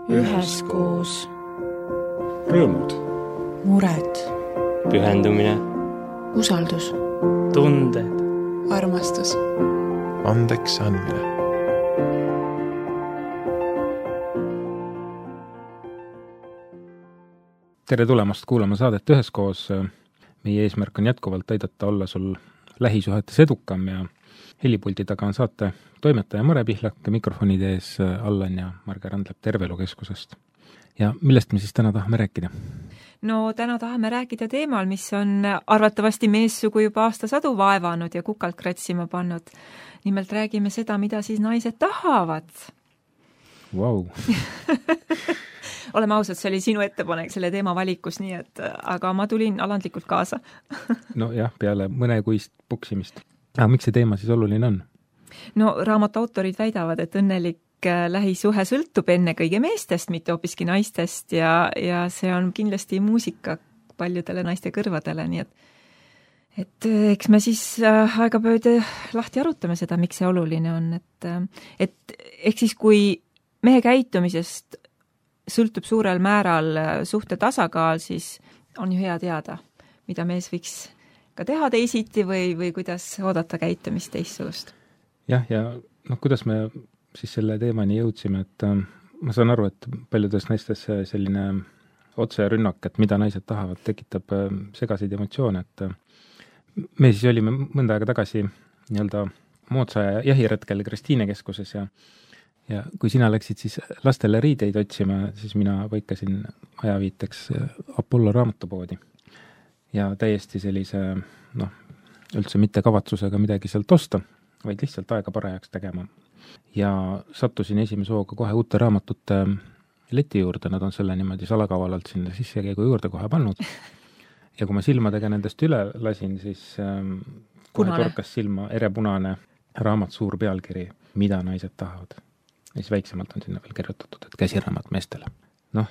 üheskoos. Rõõmud, mured, pühendumine, usaldus, tunded, armastus, andeks andmine. Tere tulemast kuulama saadet Üheskoos. Meie eesmärk on jätkuvalt aidata olla sul lähisuhetes edukam ja helipuldi taga on saate toimetaja Mare Pihlak ja mikrofonide ees Allan ja Marge Randlep Terveelukeskusest. Ja millest me siis täna tahame rääkida? No täna tahame rääkida teemal, mis on arvatavasti meessugu juba aastasadu vaevanud ja kukalt kratsima pannud. Nimelt räägime seda, mida siis naised tahavad. Wow. Oleme ausad, see oli sinu ettepanek selle teema valikus, nii et, aga ma tulin alandlikult kaasa. No jah, peale mõnekuist puksimist. Aga miks see teema siis oluline on? No raamatu autorid väidavad, et õnnelik lähisuhe sõltub ennekõige meestest, mitte hoopiski naistest ja see on kindlasti muusika paljudele naiste kõrvadele, nii et eks me siis aegapööde lahti arutame seda, miks see oluline on, et ehk siis kui mehe käitumisest sõltub suurel määral suhte tasakaal, siis on ju hea teada, mida mees võiks ka teha teisiti või kuidas oodata käitumist teistsugust. Jah, ja kuidas me siis selle teemani jõudsime, et ma saan aru, et paljudes naistes selline otserünnak, et mida naised tahavad, tekitab segaseid emotsioone, et me siis olime mõnda aega tagasi nii-öelda moodsa jahiretkel Kristiine keskuses ja kui sina läksid siis lastele riideid otsima, siis mina põikasin ajaviiteks Apollo raamatupoodi. Ja täiesti sellise, üldse mitte kavatsusega midagi sealt osta, vaid lihtsalt aega parajaks tegema. Ja sattusin esimese hooga kohe uute raamatute leti juurde, nad on selle niimoodi salakavalalt sinna sissekäigu juurde kohe pannud. Ja kui ma silmadega nendest üle lasin, siis kohe torkas silma erepunane raamat suur pealkiri, mida naised tahavad. Ja siis väiksemalt on sinna veel kirjutatud, et käsiraamat meestele.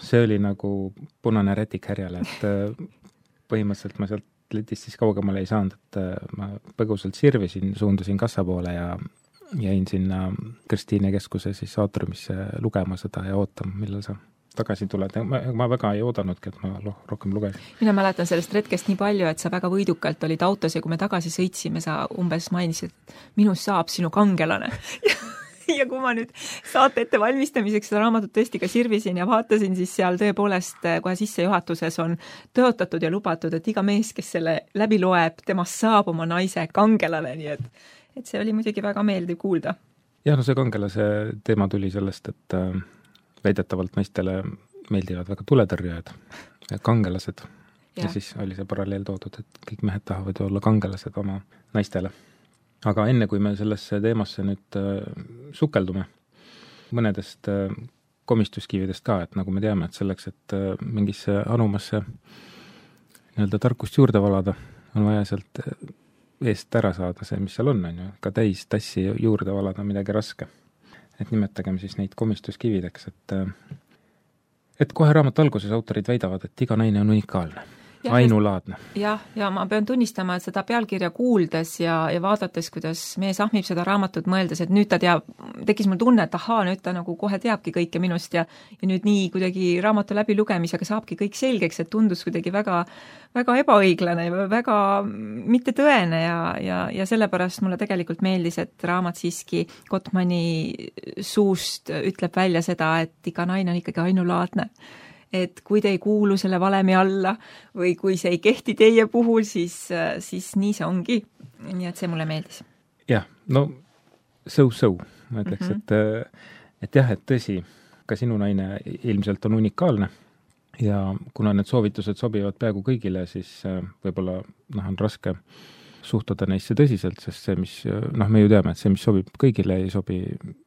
See oli nagu punane rätik härjale, et põhimõtteliselt ma sealt letist siis kaugemale ei saanud, et ma põgusalt sirvisin, suundusin kassa poole ja jäin sinna Kristiine keskuse siis aatriumisse lugema seda ja ootama, millal sa tagasi tuled. Ma väga ei oodanudki, et ma rohkem lugesin. Mina mäletan sellest retkest nii palju, et sa väga võidukalt olid autos ja kui me tagasi sõitsime, sa umbes mainisid, et minust saab sinu kangelane. Ja kui ma nüüd saate ette valmistamiseks seda raamatut tõesti ka sirvisin ja vaatasin, siis seal tõepoolest kohe sissejuhatuses on tõotatud ja lubatud, et iga mees, kes selle läbi loeb, temast saab oma naise kangelane, nii et see oli muidugi väga meeldiv kuulda. Jah, see kangelase teema tuli sellest, et väidetavalt naistele meeldivad väga tuletõrjajad ja kangelased. Ja siis oli see paralleel toodud, et kõik mehed tahavad ju olla kangelased oma naistele. Aga enne kui me sellesse teemasse nüüd sukeldume mõnedest komistuskividest ka, et nagu me teame, et selleks, et mingisse anumasse nii-öelda tarkust juurde valada, on vaja sealt eest ära saada see, mis seal on ju, ka täis tassi juurde valada midagi raske. Et nimetagem siis neid komistuskivideks, et kohe raamatu alguses autorid väidavad, et iga naine on unikaalne. Ainulaadne. Ja ma pean tunnistama, et seda pealkirja kuuldes ja vaadates, kuidas mees ahmib seda raamatut mõeldes, et nüüd ta tekkis mul tunne, et nüüd ta nagu kohe teabki kõike minust ja nüüd nii kuidagi raamatu läbi lugemisega saabki kõik selgeks, et tundus kuidagi väga, väga ebaõiglane ja väga mitte tõene ja sellepärast mulle tegelikult meeldis, et raamat siiski Gottmani suust ütleb välja seda, et iga naine on ikkagi ainulaadne. Et kui te ei kuulu selle valemi alla või kui see ei kehti teie puhul, siis nii see ongi. Nii et see mulle meeldis. Jah, so, ma ütleks, et jah, et tõsi, ka sinu naine ilmselt on unikaalne ja kuna need soovitused sobivad peaaegu kõigile, siis võib-olla on raske suhtuda neisse tõsiselt, sest see, mis, me ju teame, et see, mis sobib kõigile, ei sobi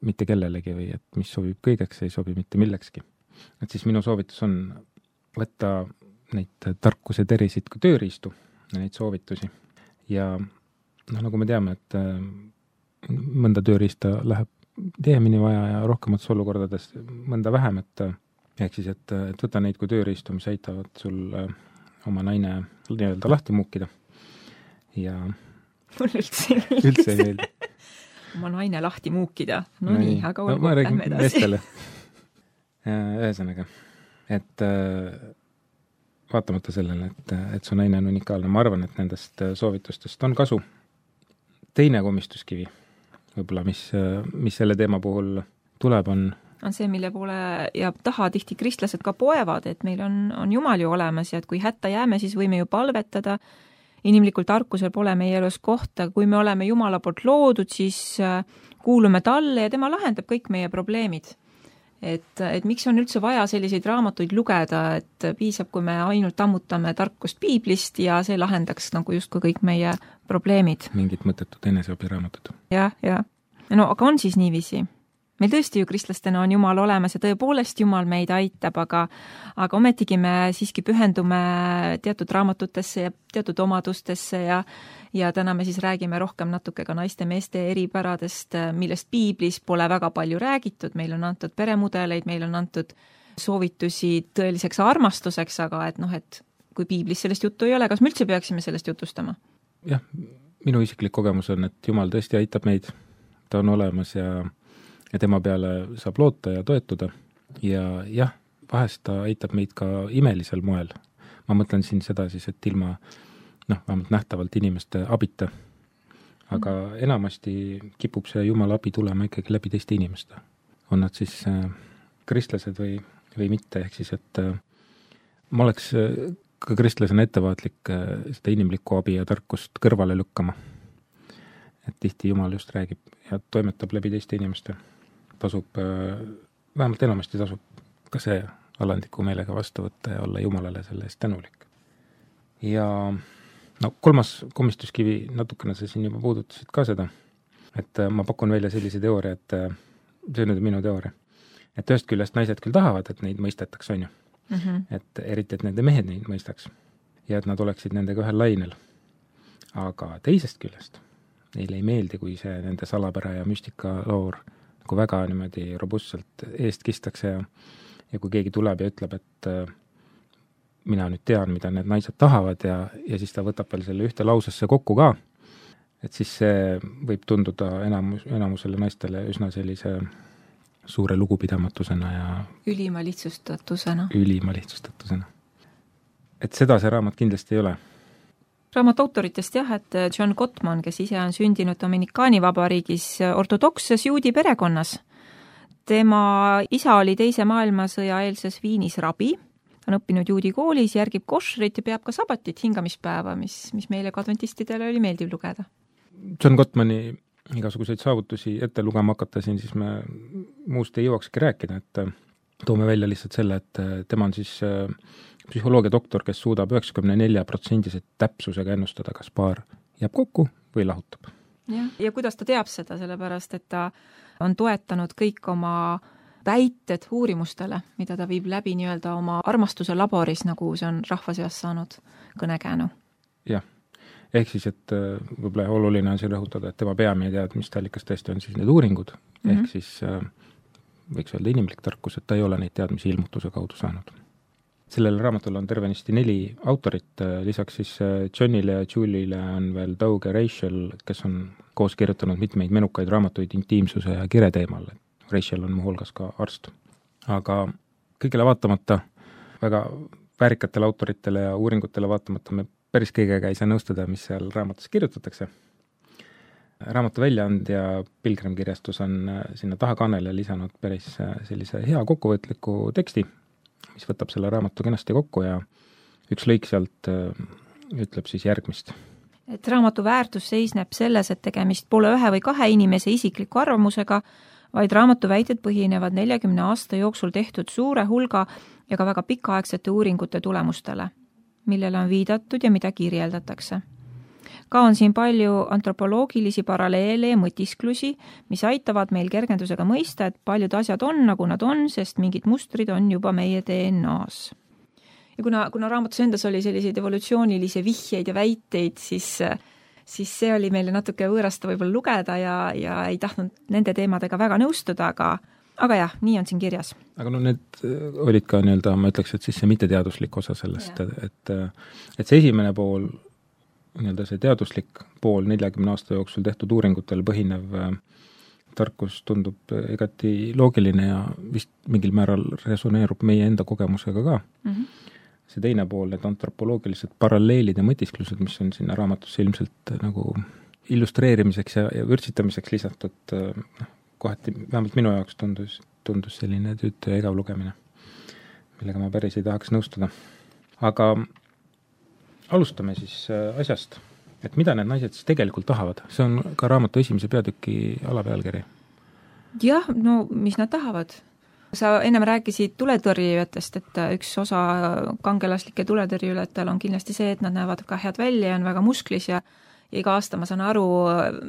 mitte kellelegi või et mis sobib kõigeks, ei sobi mitte millekski. Et siis minu soovitus on võtta neid tarkuse terisid kui tööriistu ja neid soovitusi. Ja nagu me teame, et mõnda tööriista läheb tihemini vaja ja rohkemates olukordades mõnda vähem, et võta neid kui tööriistu, mis aitavad sul oma naine nii-öelda lahti muukida. Ja mul üldse ei meeldi. Oma naine lahti muukida. No nii, aga olgu, lähme edasi. Ühesõnaga, et vaatamata sellele, et su naine on unikaalne, ma arvan, et nendest soovitustest on kasu. Teine komistuskivi, võib-olla, mis selle teema puhul tuleb, on see, mille poole ja taha tihti kristlased ka poevad, et meil on Jumal ju olemas ja et kui hätta jääme, siis võime ju palvetada. Inimlikul tarkusel pole meie elus kohta, kui me oleme Jumala poolt loodud, siis kuulume talle ja tema lahendab kõik meie probleemid. Et miks on üldse vaja selliseid raamatuid lugeda, et piisab, kui me ainult ammutame tarkust piiblist ja see lahendaks nagu justkui kõik meie probleemid. Mingid mõttetud eneseabiraamatud. Ja. No aga on siis niiviisi? Meil tõesti ju kristlastena on Jumal olemas ja tõepoolest Jumal meid aitab, aga ometigi me siiski pühendume teatud raamatutesse ja teatud omadustesse ja täna me siis räägime rohkem natuke ka naiste-meeste eripäradest, millest piiblis pole väga palju räägitud, meil on antud peremudeleid, meil on antud soovitusi tõeliseks armastuseks, aga et kui piiblis sellest juttu ei ole, kas me üldse peaksime sellest jutustama? Jah, minu isiklik kogemus on, et Jumal tõesti aitab meid, ta on olemas ja tema peale saab loota ja toetuda ja jah, vahest ta aitab meid ka imelisel moel. Ma mõtlen siin seda siis, et ilma vähemalt nähtavalt inimeste abita. Aga enamasti kipub see Jumala abi tulema ikkagi läbi teiste inimeste. On nad siis kristlased või mitte, ehk siis, et ma oleks ka kristlasena ettevaatlik seda inimlikku abi ja tarkust kõrvale lükkama. Et tihti Jumal just räägib ja toimetab läbi teiste inimeste. Vähemalt enamasti tasub ka see alandliku meelega vastu võtta ja olla Jumalale selle eest tänulik. Ja kolmas komistuskivi, natukene sa siin juba puudutasid ka seda, et ma pakun välja sellise teooria, et see on nüüd minu teooria, et ühest küljest naised küll tahavad, et neid mõistetaks, on ju. Et eriti, et nende mehed neid mõistaks ja et nad oleksid nendega ühel lainel. Aga teisest küljest neile ei meeldi, kui see nende salapära ja müstika loor kui väga niimoodi robustselt eest kistakse ja kui keegi tuleb ja ütleb, et mina nüüd tean, mida need naised tahavad ja siis ta võtab veel selle ühte lausesse kokku ka, et siis see võib tunduda enamusele naistele üsna sellise suure lugupidamatusena ja ülima lihtsustatusena. Et seda see raamat kindlasti ei ole. Raamat autoritest et John Gottman, kes ise on sündinud Dominikaani vabariigis ortodokses juudi perekonnas. Tema isa oli teise maailmasõja eelses Viinis rabi, ta on õppinud juudi koolis, järgib košrit ja peab ka sabatit hingamispäeva, mis meile adventistidele oli meeldiv lugeda. John Gottmani igasuguseid saavutusi ette lugema hakasin, siis me muust ei jõuakski rääkida, et toome välja lihtsalt selle, et tema on siis psühholoogia doktor, kes suudab 94% täpsusega ennustada, kas paar jääb kokku või lahutab. Ja kuidas ta teab seda, sellepärast, et ta on toetanud kõik oma väited uurimustele, mida ta viib läbi nii-öelda oma armastuse laboris, nagu see on rahva seas saanud kõnekäänu. Jah, ehk siis, et võib-olla oluline on siin rõhutada, et tema peamine teadmisteallikas tõesti on siis need uuringud, ehk siis võiks öelda inimlik tarkus, et ta ei ole neid teadmisi ilmutuse kaudu saanud. Sellele raamatule on tervenisti 4 autorit, lisaks siis Johnile ja Julie'le on veel Doug ja Rachel, kes on koos kirjutanud mitmeid menukaid raamatuid intiimsuse ja kire teemal. Rachel on muuhulgas ka arst. Aga kõigele vaatamata, väga väärikatele autoritele ja uuringutele vaatamata me päris kõigega ei saa nõustuda, mis seal raamatus kirjutatakse. Raamatu väljaandja Pilgrimkirjastus on sinna tahakaanele lisanud päris sellise hea kokkuvõtliku teksti, mis võtab selle raamatu kenasti kokku ja üks lõik sealt ütleb siis järgmist. Et raamatu väärtus seisneb selles, et tegemist pole 1 või 2 inimese isikliku arvamusega, vaid raamatu väited põhinevad 40 aasta jooksul tehtud suure hulga ja ka väga pikaaegsete uuringute tulemustele, millele on viidatud ja mida kirjeldatakse. Ka on siin palju antropoloogilisi paralleele ja mõtisklusi, mis aitavad meil kergendusega mõista, et paljud asjad on, nagu nad on, sest mingid mustrid on juba meie DNA-s. Ja kuna raamatus endas oli selliseid evolutsioonilisi vihjeid ja väiteid, siis see oli meile natuke võõrasta võib-olla lugeda ja ei tahtnud nende teemadega väga nõustuda, aga jah, nii on siin kirjas. Aga need olid ka nii-öelda, ma ütleks, et siis see mitteteaduslik osa sellest, et see esimene pool, nii-öelda see teaduslik pool 40 aasta jooksul tehtud uuringutel põhinev tarkus tundub igati loogiline ja vist mingil määral resoneerub meie enda kogemusega ka. See teine pool, need antropoloogilised paralleelid ja mõtisklused, mis on sinna raamatusse ilmselt nagu illustreerimiseks ja vürtsitamiseks lisatud, kohati vähemalt minu jaoks tundus selline tüütu ja igav lugemine, millega ma päris ei tahaks nõustuda. Aga alustame siis asjast, et mida need naised siis tegelikult tahavad. See on ka raamatu esimese peatüki alapealkiri. Jah, no mis nad tahavad? Sa ennem rääkisid tuletõrjujatest, et üks osa kangelaslike tuletõrjujatel on kindlasti see, et nad näevad ka head välja ja on väga musklis ja iga aasta, ma saan aru,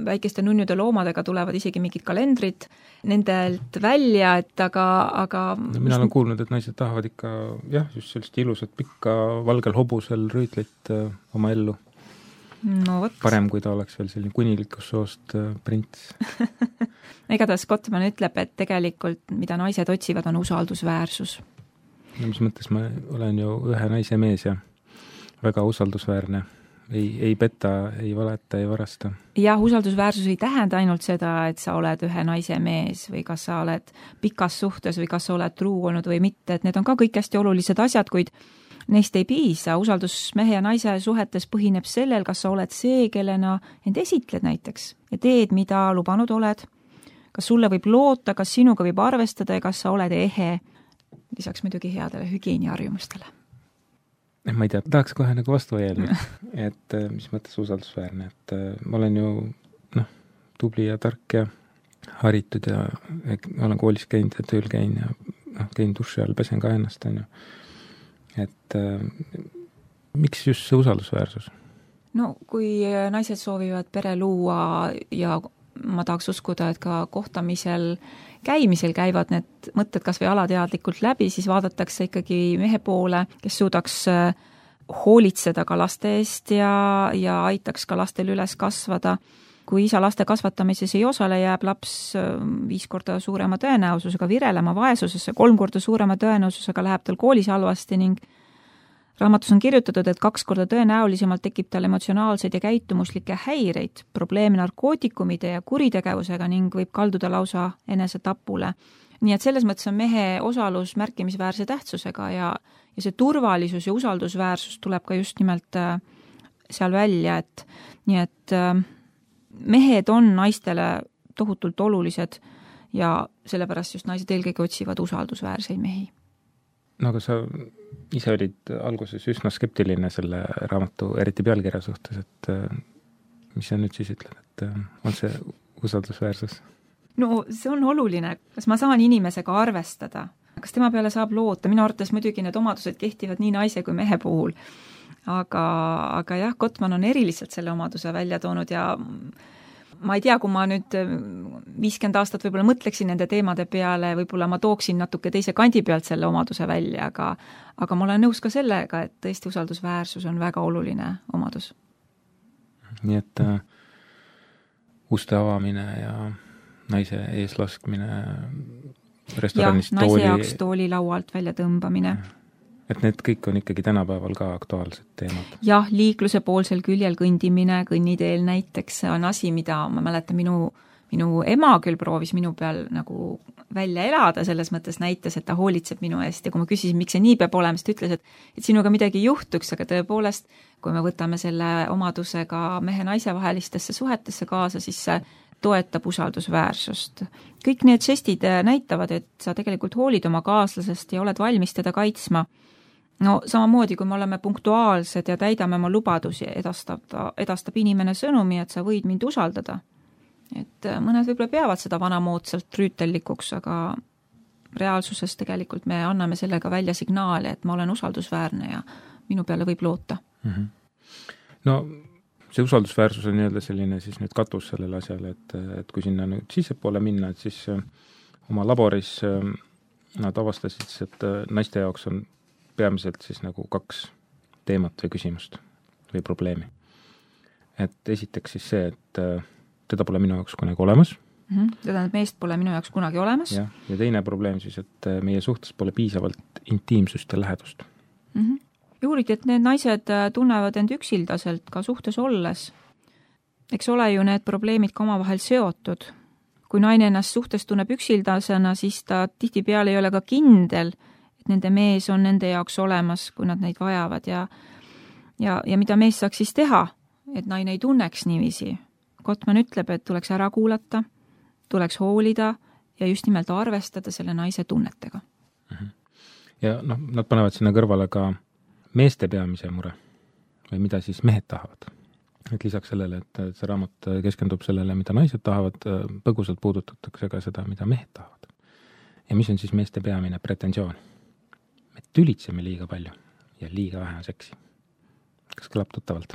väikeste nunnude loomadega tulevad isegi mingid kalendrid nendelt välja, et aga no, mina olen kuulnud, et naised tahavad ikka just sellist ilusat pikka valgel hobusel rüütlit oma ellu. No, võt. Parem, kui ta oleks veel selline kuninglikust soost prints. Igatahes Gottman ütleb, et tegelikult mida naised otsivad, on usaldusväärsus. No, mis mõttes, ma olen ju ühe naise mees ja väga usaldusväärne. Ei peta, ei valeta, ei varasta. Jah, usaldusväärsus ei tähenda ainult seda, et sa oled ühe naise mees või kas sa oled pikas suhtes või kas sa oled truu olnud või mitte, et need on ka kõik hästi olulised asjad, kuid neist ei piisa. Usaldus mehe ja naise suhetes põhineb sellel, kas sa oled see, kellena end esitled näiteks ja teed, mida lubanud oled. Kas sulle võib loota, kas sinuga võib arvestada ja kas sa oled ehe, lisaks muidugi headele hügieeniharjumustele. Ma ei tea, tahaks kohe nagu vastu vaielda, et mis mõttes usaldusväärne, et ma olen ju tubli ja tark ja haritud ja olen koolis käinud ja tööl käin ja käin duši all, pesen ka ennast, on ju. Et miks just see usaldusväärsus? No kui naised soovivad pere luua ja ma tahaks uskuda, et ka kohtamisel käimisel käivad need mõtted kas või alateadlikult läbi, siis vaadatakse ikkagi mehe poole, kes suudaks hoolitseda ka laste eest ja aitaks ka lastel üles kasvada. Kui isa laste kasvatamises ei osale, jääb laps 5 korda suurema tõenäosusega virelema vaesusesse, 3 korda suurema tõenäosusega läheb tal koolis halvasti ning raamatus on kirjutatud, et 2 korda tõenäolisemalt tekib tal emotsionaalseid ja käitumuslikke häireid, probleeme narkootikumide ja kuritegevusega ning võib kalduda lausa enesetapule. Nii et selles mõttes on mehe osalus märkimisväärse tähtsusega ja see turvalisus ja usaldusväärsus tuleb ka just nimelt seal välja, et nii et mehed on naistele tohutult olulised ja sellepärast just naised eelkõige otsivad usaldusväärseid mehi. No aga sa ise olid alguses üsna skeptiline selle raamatu, eriti pealkirja suhtes, et mis sa nüüd siis ütled, et on see usaldusväärsus? No see on oluline, kas ma saan inimesega arvestada, kas tema peale saab loota, minu arvates muidugi need omadused kehtivad nii naise kui mehe puhul, aga jah, Gottman on eriliselt selle omaduse välja toonud ja ma ei tea, kui ma nüüd 50 aastat võib-olla mõtleksin nende teemade peale, võib-olla ma tooksin natuke teise kandi pealt selle omaduse välja, aga ma olen nõus ka sellega, et tõesti usaldusväärsus on väga oluline omadus. Nii et uste avamine ja naise ees laskmine restoranist naise jaoks tooli laualt välja tõmbamine. Et need kõik on ikkagi tänapäeval ka aktuaalsed teemad. Jah, liikluse poolsel küljel kõndimine, kõnniteel näiteks on asi, mida ma mäletan, minu ema küll proovis minu peal nagu välja elada, selles mõttes näitas, et ta hoolitseb minu eest ja kui ma küsisin, miks see nii peab olema, siis ta ütles, et sinuga midagi juhtuks, aga tõepoolest, kui me võtame selle omadusega mehe-naise vahelistesse suhetesse kaasa, siis see toetab usaldusväärsust. Kõik need žestid näitavad, et sa tegelikult hoolid oma kaaslasest ja oled valmis teda kaitsma. No samamoodi, kui me oleme punktuaalsed ja täidame oma lubadusi, edastab inimene sõnumi, et sa võid mind usaldada. Et mõned võib-olla peavad seda vanamoodsalt rüütellikuks, aga reaalsuses tegelikult me anname sellega välja signaali, et ma olen usaldusväärne ja minu peale võib loota. No see usaldusväärsus on nii-öelda selline siis nüüd katus sellele asjale, et kui sinna nüüd sissepoole minna, et siis oma laboris nad avastasid, et naiste jaoks on peamiselt siis nagu 2 teemat või küsimust või probleemi. Et esiteks siis see, et teda pole minu jaoks kunagi olemas. Teda meest pole minu jaoks kunagi olemas. Ja teine probleem siis, et meie suhtes pole piisavalt intiimsust ja lähedust. Juuriti, et need naised tunnevad end üksildaselt ka suhtes olles. Eks ole ju need probleemid ka omavahel seotud. kui naine ennast suhtes tunneb üksildasena, siis ta tihtipeale ei ole ka kindel, et nende mees on nende jaoks olemas, kui nad neid vajavad ja mida mees saaks siis teha, et naine ei tunneks niiviisi. Gottman ütleb, et tuleks ära kuulata, tuleks hoolida ja just nimelt arvestada selle naise tunnetega. Ja nad panevad sinna kõrvale ka meeste peamise mure või mida siis mehed tahavad. Et lisaks sellele, et see raamat keskendub sellele, mida naised tahavad, põgusalt puudutatakse ka seda, mida mehed tahavad. Ja mis on siis meeste peamine pretensioon? Me tülitseme liiga palju ja liiga vähe seksi. Kas kõlab tuttavalt?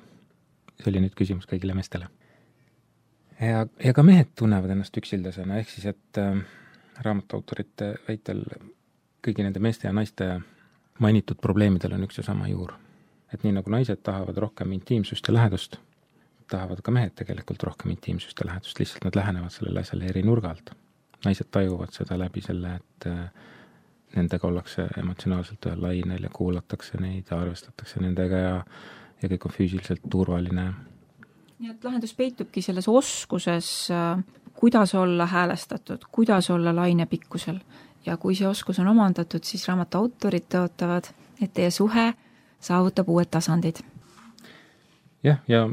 See oli nüüd küsimus kõigile meestele. Ja ka mehed tunnevad ennast üksildasena, ehk siis, et raamatautorite väitel kõigi nende meeste ja naiste mainitud probleemidel on üks ja sama juur. Et nii nagu naised tahavad rohkem intiimsust ja lähedust, tahavad ka mehed tegelikult rohkem intiimsust ja lähedust, lihtsalt nad lähenevad sellele asjale eri nurga alt. Naised tajuvad seda läbi selle, et nendega ollakse emotsionaalselt ühel lainel ja kuulatakse neid ja arvestatakse nendega ja kõik on füüsiliselt turvaline. Nii et lahendus peitubki selles oskuses, kuidas olla häälestatud, kuidas olla lainepikkusel. Ja kui see oskus on omandatud, siis raamatu autorid tõotavad, et teie suhe saavutab uued tasandid. Jah, ja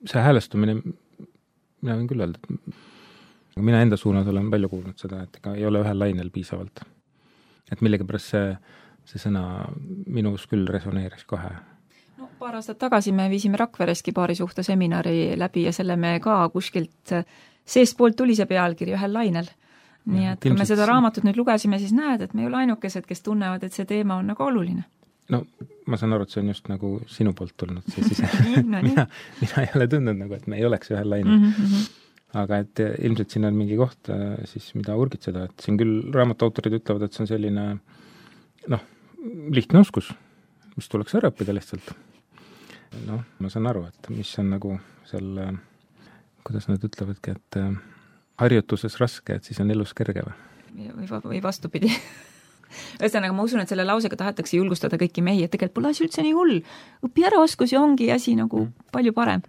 see häälestumine, mina võin küll öelda, et mina enda suunas olen palju kuulnud seda, et ega ei ole ühel lainel piisavalt. Et millegipärast see sõna minus küll resoneeris kohe. Paar aastat tagasi me viisime Rakvereski paarisuhte seminari läbi ja selle me ka kuskilt seestpoolt tuli see pealkiri ühel lainel. Nii et kui me seda raamatut nüüd lugesime, siis näed, et me ei ole ainukesed, kes tunnevad, et see teema on nagu oluline. Ma saan aru, et see on just nagu sinu poolt tulnud. Mina ei ole tundnud nagu, et me ei oleks ühel lainel. Aga et ilmselt siin on mingi koht, siis mida urgitseda, et siin küll raamatautorid ütlevad, et see on selline lihtne oskus, mis tuleks ära õppida lihtsalt. Ma saan aru, et mis on nagu selle, kuidas nad ütlevadki, et harjutuses raske, et siis on elus kerge või vastupidi. Ühesõnaga, ma usun, et selle lausega tahetakse julgustada kõiki mehi, et tegelikult pole asi üldse nii hull. Õpi ära oskus ja ongi asi nagu palju parem.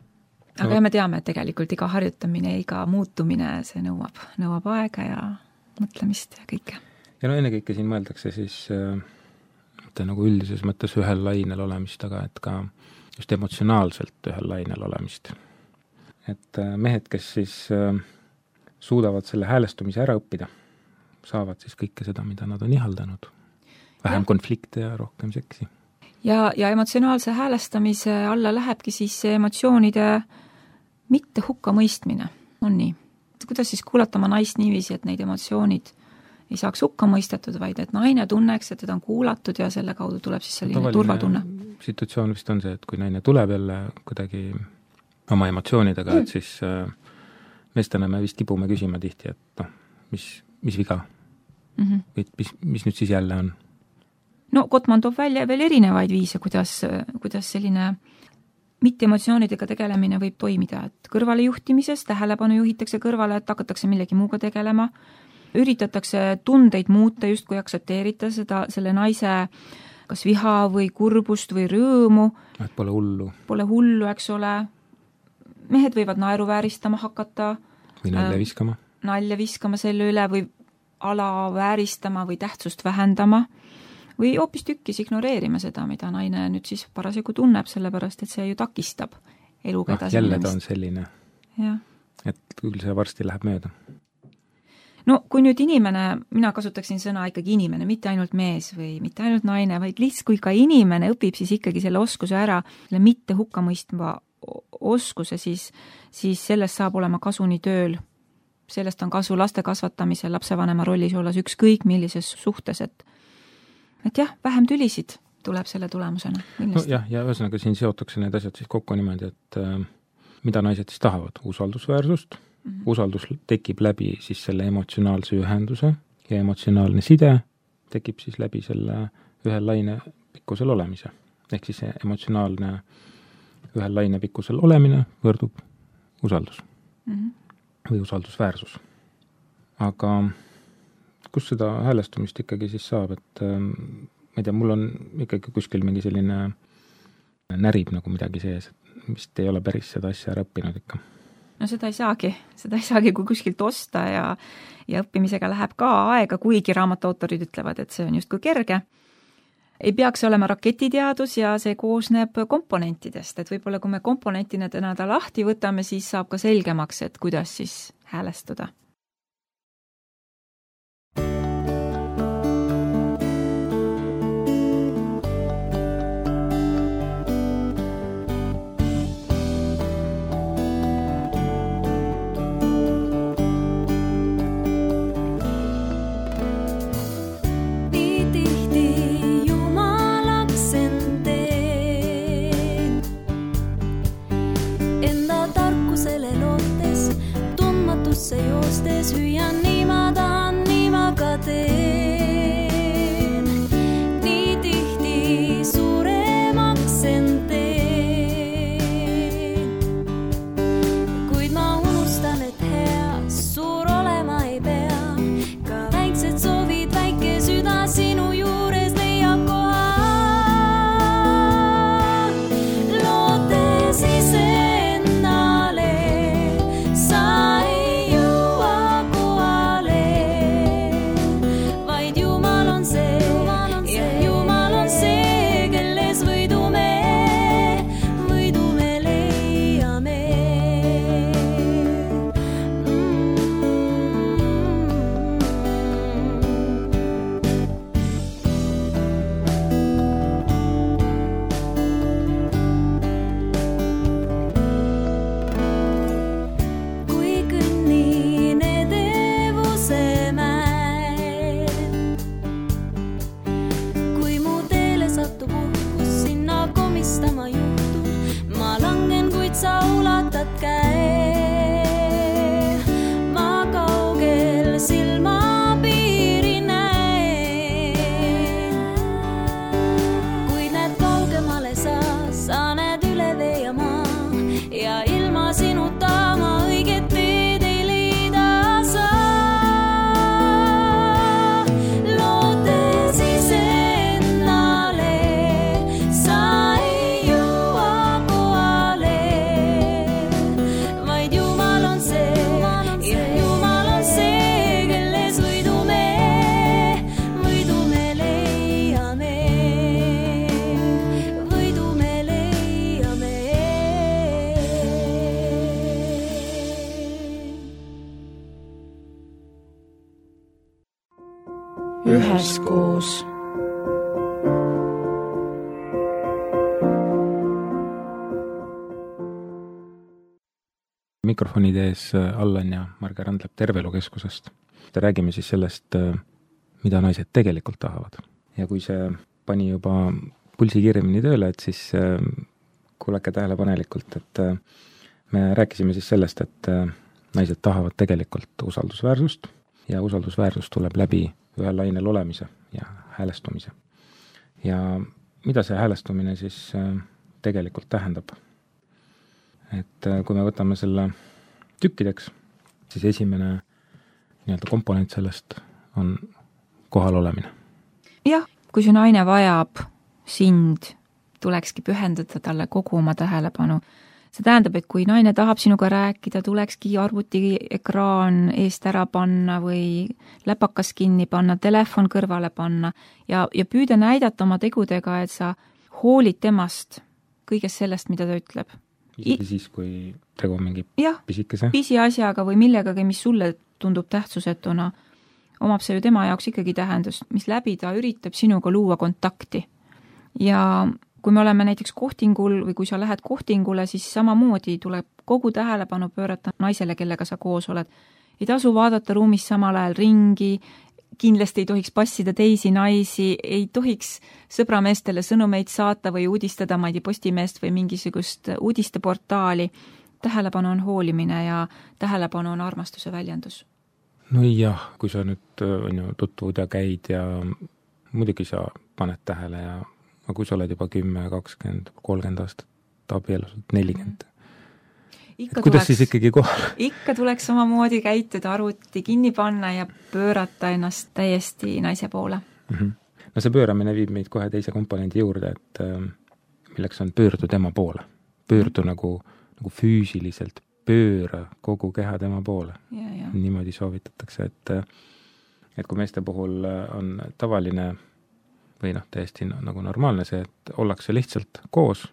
Aga me teame, et tegelikult iga harjutamine, iga muutumine, see nõuab aega ja mõtlemist ja kõike. Ja ennekõike siin mõeldakse siis mitte nagu üldises mõttes ühel lainel olemist, aga et ka just emotsionaalselt ühel lainel olemist. Et mehed, kes siis suudavad selle häälestumise ära õppida, saavad siis kõike seda, mida nad on ihaldanud. Vähem konflikte ja rohkem seksi. Ja emotsionaalse häälestamise alla lähebki siis emotsioonide mitte hukka mõistmine. On nii. Kuidas siis kuulata oma naist niiviisi, et neid emotsioonid ei saaks hukka mõistetud, vaid et naine tunneks, et teda on kuulatud ja selle kaudu tuleb siis selline turvatunne. Situatsioon vist on see, et kui naine tuleb jälle kuidagi oma emotsioonidega, et siis meestena me vist kipume küsima tihti, et mis viga? Mis nüüd siis jälle on? Gottman toob välja veel erinevaid viise, kuidas selline mitte-emotsioonidega tegelemine võib toimida, et kõrvale juhtimises tähelepanu juhitakse kõrvale, et hakatakse millegi muuga tegelema, üritatakse tundeid muuta, just kui aktsepteerita selle naise kas viha või kurbust või rõõmu. Et pole hullu. Pole hullu, eks ole. Mehed võivad naeruvääristama hakata. Või nalja viskama selle üle või alavääristama või tähtsust vähendama või hoopis tükkis ignoreerima seda, mida naine nüüd siis parasjagu tunneb, sellepärast, et see ju takistab eluga edasi. Jälle ta on selline, ja. Et küll see varsti läheb mööda. Kui nüüd inimene, mina kasutaksin sõna ikkagi inimene, mitte ainult mees või mitte ainult naine, vaid lihtsalt kui ka inimene õpib siis ikkagi selle oskuse ära, selle mitte hukkamõistva oskuse, siis sellest saab olema kasu nii tööl. Sellest on kasu laste kasvatamisel, lapsevanema rollis olles ükskõik millises suhtes, et jah, vähem tülisid tuleb selle tulemusena. Ja ühesõnaga siin seotakse need asjad siis kokku niimoodi, et mida naised siis tahavad? Usaldusväärsust. Usaldus tekib läbi siis selle emotsionaalse ühenduse ja emotsionaalne side tekib siis läbi selle ühel laine pikkusel olemise. Ehk siis emotsionaalne ühel laine pikkusel olemine võrdub usaldus või usaldusväärsus. Aga kus seda häälestumist ikkagi siis saab, et ma ei tea, mul on ikkagi kuskil mingi selline närib nagu midagi sees, et vist ei ole päris seda asja ära õppinud ikka. no seda ei saagi kui kuskilt osta ja õppimisega läheb ka aega, kuigi raamatuautorid ütlevad, et see on justkui kerge. Ei peaks olema raketiteadus ja see koosneb komponentidest, et võib-olla kui me komponentina täna ta lahti võtame, siis saab ka selgemaks, et kuidas siis häälestuda. Se joostes hüüan nii ma tahan, nii ma ka teen. Nii tihti suuremaks end teen. Kuid ma unustan, et hea suur olema ei pea. Ka väiksed soovid, väike süda sinu juures leiab koha. Lootes iseennale sai üheskoos. Mikrofonide ees Allan ja Marge Randlep Tervelukeskusest. Räägime siis sellest, mida naised tegelikult tahavad. Ja kui see pani juba pulsi kiiremini tööle, et siis kuulake tähelepanelikult, et me rääkisime siis sellest, et naised tahavad tegelikult usaldusväärsust ja usaldusväärsus tuleb läbi ühel lainel olemise ja häälestumise. Ja mida see häälestumine siis tegelikult tähendab? Et kui me võtame selle tükkideks, siis esimene nii-öelda komponent sellest on kohal olemine. Jah, kui see naine vajab sind, tulekski pühendada talle kogu oma tähelepanu. See tähendab, et kui naine tahab sinuga rääkida, tulekski arvutiekraan eest ära panna või läpakas kinni panna, telefon kõrvale panna ja püüda näidata oma tegudega, et sa hoolid temast kõigest sellest, mida ta ütleb. Isegi siis, kui tegu mingi pisikese? Pisiasjaga või millegagi, mis sulle tundub tähtsusetuna, omab see ju tema jaoks ikkagi tähendust, mis läbi ta üritab sinuga luua kontakti. Ja kui me oleme näiteks kohtingul või kui sa lähed kohtingule, siis samamoodi tuleb kogu tähelepanu pöörata naisele, kellega sa koos oled. Ei tasu vaadata ruumis samal ajal ringi, kindlasti ei tohiks passida teisi naisi, ei tohiks sõbrameestele sõnumeid saata või uudistada, ma ei tea, Postimeest või mingisugust uudisteportaali. Tähelepanu on hoolimine ja tähelepanu on armastuse väljendus. No jah, kui sa nüüd tutvud ja käid ja muidugi sa paned tähele ja kui sa oled juba 10, 20, 30 aastat abielus, 40. Kuidas siis ikkagi kohal? Ikka tuleks samamoodi käituda, arvuti kinni panna ja pöörata ennast täiesti naise poole. No see pööramine viib meid kohe teise komponendi juurde, et milleks on pöördu tema poole. Pöördu nagu füüsiliselt pööra kogu keha tema poole. Ja. Niimoodi soovitatakse, et kui meeste puhul on tavaline või täiesti nagu normaalne see, et ollakse lihtsalt koos,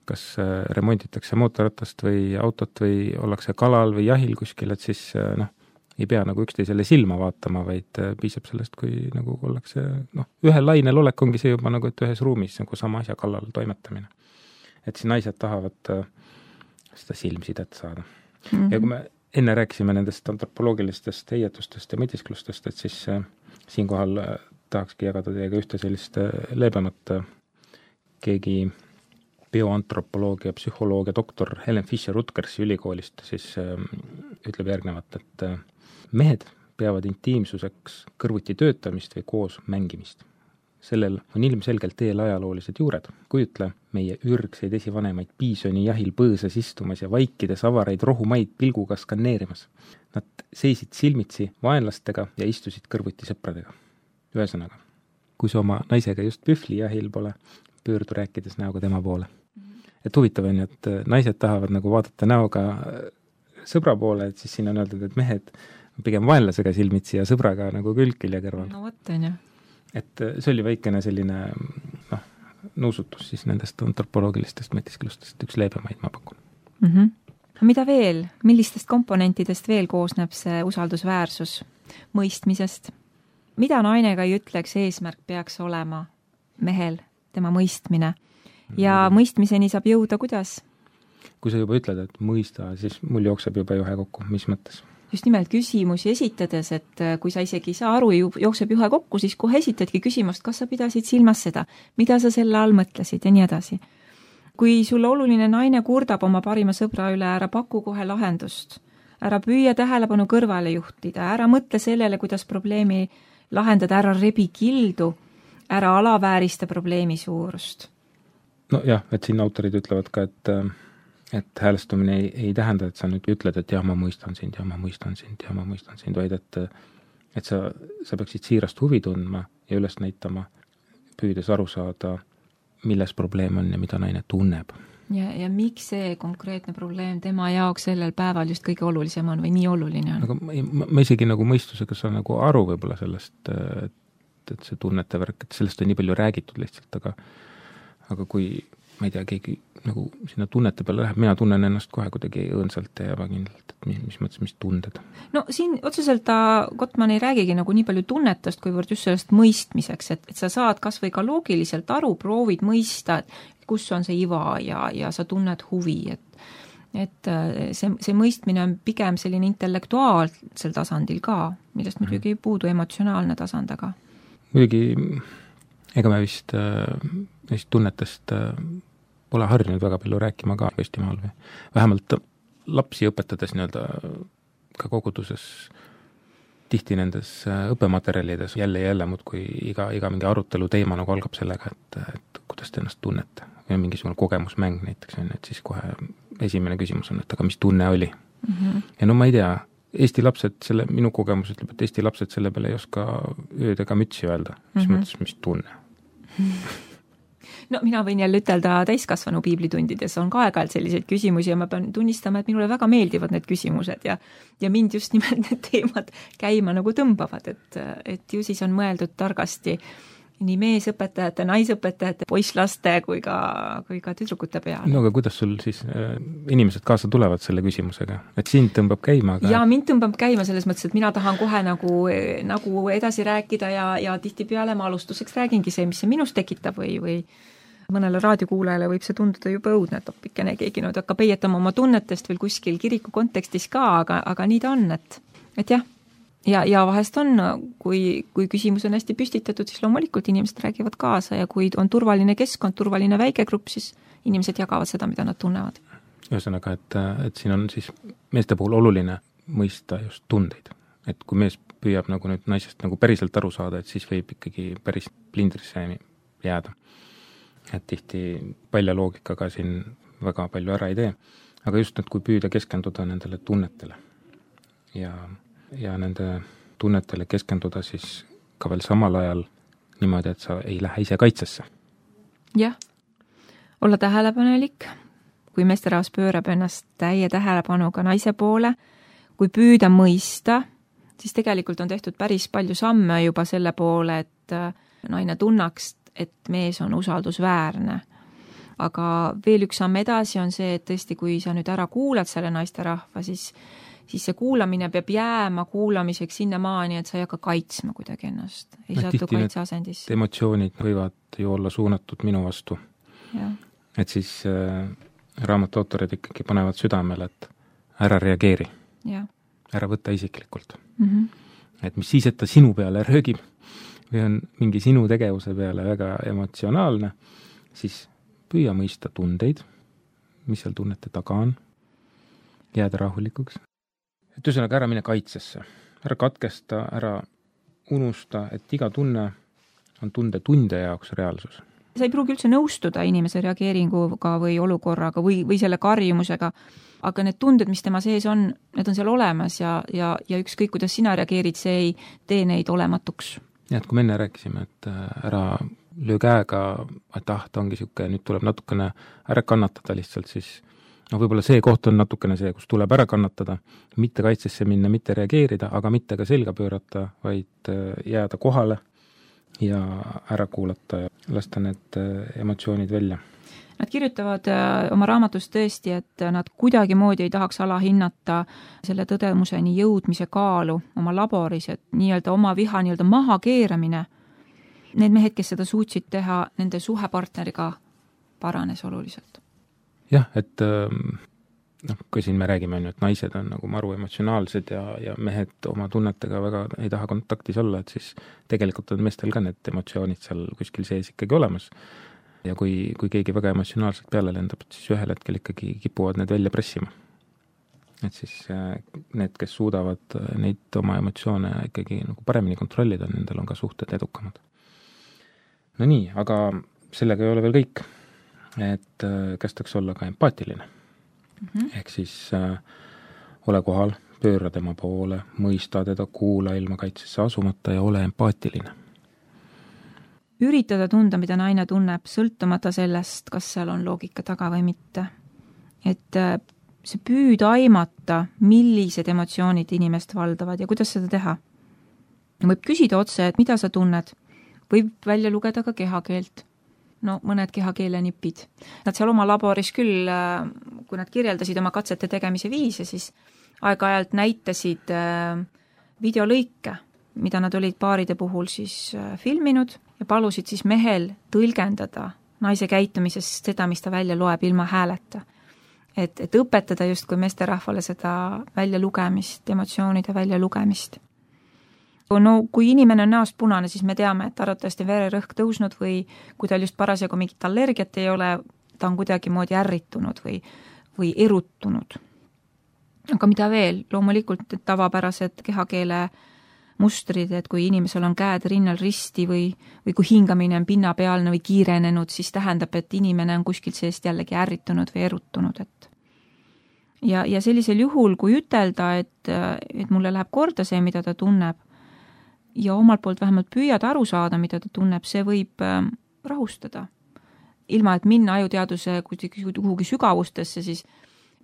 kas remonditakse mootorratast või autot või ollakse kalal või jahil kuskil, et siis ei pea nagu üksteisele silma vaatama, vaid piisab sellest, kui nagu ollakse, ühel lainel olek ongi see juba nagu, et ühes ruumis nagu sama asja kallal toimetamine. Et siin naised tahavad seda silmsidet saada. Ja kui me enne rääkisime nendest antropoloogilistest heietustest ja mõtisklustest, et siis siinkohal tahakski jagada teiega ühte sellist leebemat. Keegi bioantropoloogia, psühholoogia doktor Helen Fisher-Rutgersi ülikoolist siis ütleb järgnevat, et mehed peavad intiimsuseks kõrvuti töötamist või koos mängimist. Sellel on ilmselgelt eelajaloolised juured. Kujutle meie ürgseid esivanemaid piisoni jahil põõsas istumas ja vaikides avaraid rohumaid pilguga skanneerimas. Nad seisid silmitsi vaenlastega ja istusid kõrvuti sõpradega. Ühesõnaga, kui sa oma naisega just pühvli jahil pole, pöördu rääkides näoga tema poole. Et huvitav on, et naised tahavad nagu vaadata näoga sõbra poole, et siis siin on öeldud, et mehed pigem vaenlasega silmitsi ja sõbraga nagu külg-külje kõrval. No võtten, jah. Et see oli väikene selline nuusutus siis nendest antropoloogilistest mõtisklustest, üks leebemaid ma pakun. Mida veel? Millistest komponentidest veel koosneb see usaldusväärsus mõistmisest? Mida nainega ei ütleks, eesmärk peaks olema mehel, tema mõistmine? Ja mõistmiseni saab jõuda kuidas? Kui sa juba ütled, et mõista, siis mul jookseb juba juhe kokku. Mis mõttes? Just nimelt küsimusi esitades, et kui sa isegi ei saa aru, jookseb juhe kokku, siis kohe esitadki küsimust, kas sa pidasid silmas seda, mida sa selle all mõtlesid ja nii edasi. Kui sulle oluline naine kurdab oma parima sõbra üle, ära paku kohe lahendust, ära püüa tähelepanu kõrvale juhtida, ära mõtle sellele, kuidas probleemi lahendada, ära rebi kildu, ära alaväärista probleemi suurust. No jah, et siin autorid ütlevad ka, et häälestumine ei tähenda, et sa nüüd ütled, et jah, ma mõistan sind, vaid et sa peaksid siirast huvi tundma ja üles näitama, püüdes aru saada, milles probleem on ja mida naine tunneb. Ja miks see konkreetne probleem tema jaoks sellel päeval just kõige olulisem on või nii oluline on? Aga ma isegi nagu mõistusega saan nagu aru võib-olla sellest, et see tunnete värk, et sellest on nii palju räägitud lihtsalt, aga kui ma ei tea, keegi nagu sinna tunnete peale läheb, mina tunnen ennast kohe kuidagi õõnsalt ja ebakindlalt, et mis mõttes, mis tunded. No siin otseselt Gottman ei räägigi nagu nii palju tunnetust, kuivõrd just sellest mõistmiseks, et sa saad kas või ka loogiliselt aru, proovid mõista, et kus on see iva ja sa tunned huvi, et see mõistmine on pigem selline intellektuaalsel tasandil ka, millest muidugi ei puudu emotsionaalne tasand, aga muidugi ega me vist neist tunnetest pole harjunud väga palju rääkima ka Eestimaal või vähemalt lapsi õpetades ka koguduses tihti nendes õppematerjalides jälle muudkui iga mingi arutelu teema nagu algab sellega, et kuidas te ennast tunnete või mingisugune kogemusmäng näiteks on, et siis kohe esimene küsimus on, et aga mis tunne oli. Ja no ma ei tea, Eesti lapsed, minu kogemus ütleb, et Eesti lapsed selle peale ei oska ööd ega mütsi öelda, mis mõttes, mis tunne. No mina võin jälle ütelda täiskasvanu piiblitundides on ka aeg-ajalt selliseid küsimusi ja ma pean tunnistama, et minule väga meeldivad need küsimused ja mind just nimelt need teemad käima nagu tõmbavad, et ju siis on mõeldud targasti nii meesõpetajate, naisõpetajate, poisslaste kui ka tüdrukute peale. No aga kuidas sul siis inimesed kaasa tulevad selle küsimusega? Et sind tõmbab käima? Ja mind tõmbab käima selles mõttes, et mina tahan kohe nagu edasi rääkida ja tihtipeale ma alustuseks räägingi see, mis see minust tekitab või mõnele raadiokuulajale võib see tunduda juba õudne, et oppikene keegi nüüd hakkab heietama oma tunnetest veel kuskil kiriku kontekstis ka, aga nii ta on, et jah. Ja vahest on, kui küsimus on hästi püstitatud, siis loomulikult inimesed räägivad kaasa ja kui on turvaline keskkond, turvaline väikegrupp, siis inimesed jagavad seda, mida nad tunnevad. Ühesõnaga, et siin on siis meeste puhul oluline mõista just tundeid. Et kui mees püüab nagu nüüd naisest nagu päriselt aru saada, et siis võib ikkagi päris plindrisse jääda. Et tihti palja loogikaga siin väga palju ära ei tee. Aga just nüüd, kui püüda keskenduda nendele tunnetele ja nende tunnetele keskenduda siis ka veel samal ajal niimoodi, et sa ei lähe ise kaitsesse. Jah, olla tähelepanelik, kui meesterahvas pöörab ennast täie tähelepanuga naise poole, kui püüda mõista, siis tegelikult on tehtud päris palju samme juba selle poole, et naine tunnaks, et mees on usaldusväärne. Aga veel üks samm edasi on see, et tõesti, kui sa nüüd ära kuulad selle naisterahva, siis see kuulamine peab jääma kuulamiseks sinnamaani, et sa ei hakka kaitsma kuidagi ennast. Ei saatu kaitseasendisse. Emotsioonid võivad ju olla suunatud minu vastu. Ja. Et siis raamatu autorid ikkagi panevad südamele, et ära reageeri. Ja. Ära võtta isiklikult. Et mis siis, et ta sinu peale röögib või on mingi sinu tegevuse peale väga emotsionaalne, siis püüa mõista tundeid, mis seal tunnete taga on, jääda rahulikuks. Et ühesõnaga ära mine kaitsesse, ära katkesta, ära unusta, et iga tunne on tunde jaoks reaalsus. Sa ei pruugi üldse nõustuda inimese reageeringuga või olukorraga või selle karjumusega, aga need tunded, mis tema sees on, need on seal olemas ja ükskõik, kuidas sina reageerid, see ei tee neid olematuks. Ja, et kui me enne rääkisime, et ära löö käega, et ta ongi siuke, nüüd tuleb natukene ära kannatada lihtsalt, siis võib-olla see koht on natukene see, kus tuleb ära kannatada, mitte kaitsesse minna, mitte reageerida, aga mitte ka selga pöörata, vaid jääda kohale ja ära kuulata ja lasta need emotsioonid välja. Nad kirjutavad oma raamatus tõesti, et nad kuidagi moodi ei tahaks alahinnata selle tõdemuseni jõudmise kaalu oma laboris, et nii-öelda oma viha nii-öelda maha keeramine. Need mehed, kes seda suutsid teha, nende suhepartneriga paranes oluliselt. Jah, et kui siin me räägime, et naised on nagu maru emotsionaalsed ja mehed oma tunnetega väga ei taha kontaktis olla, et siis tegelikult on meestel ka need emotsioonid seal kuskil sees ikkagi olemas. Ja kui keegi väga emotsionaalselt peale lendab, siis ühel hetkel ikkagi kipuvad need välja pressima. Et siis need, kes suudavad neid oma emotsioone ikkagi nagu paremini kontrollida, nendel on ka suhted edukamad. No nii, aga sellega ei ole veel kõik. Et kästaks olla ka empaatiline. Ehk siis ole kohal, pööra tema poole, mõista teda, kuula ilma kaitsesse asumata ja ole empaatiline. Üritada tunda, mida naine tunneb, sõltumata sellest, kas seal on loogika taga või mitte. Et see püüda aimata, millised emotsioonid inimest valdavad ja kuidas seda teha. Võib küsida otse, et mida sa tunned. Võib välja lugeda ka kehakeelt. No mõned kehakeele nipid. Nad seal oma laboris küll, kui nad kirjeldasid oma katsete tegemise viise, siis aeg-ajalt näitasid videolõike, mida nad olid paaride puhul siis filminud ja palusid siis mehel tõlgendada naise käitumisest seda, mis ta välja loeb ilma hääleta. Et õpetada just kui meesterahvale seda välja lugemist, emotsioonide välja lugemist. No kui inimene on näost punane, siis me teame, et arvatavasti vererõhk tõusnud või kui tal just parasjagu mingit allergiat ei ole, ta on kuidagi moodi ärritunud või erutunud. Aga mida veel? Loomulikult tavapärased kehakeele mustrid, et kui inimesel on käed rinnal risti või kui hingamine on pinnapealne või kiirenenud, siis tähendab, et inimene on kuskilt seest jällegi ärritunud või erutunud. Ja sellisel juhul, kui ütelda, et mulle läheb korda see, mida ta tunneb, ja omalt poolt vähemalt püüad aru saada, mida ta tunneb, see võib rahustada. Ilma, et minna ajuteaduse kuhugi sügavustesse, siis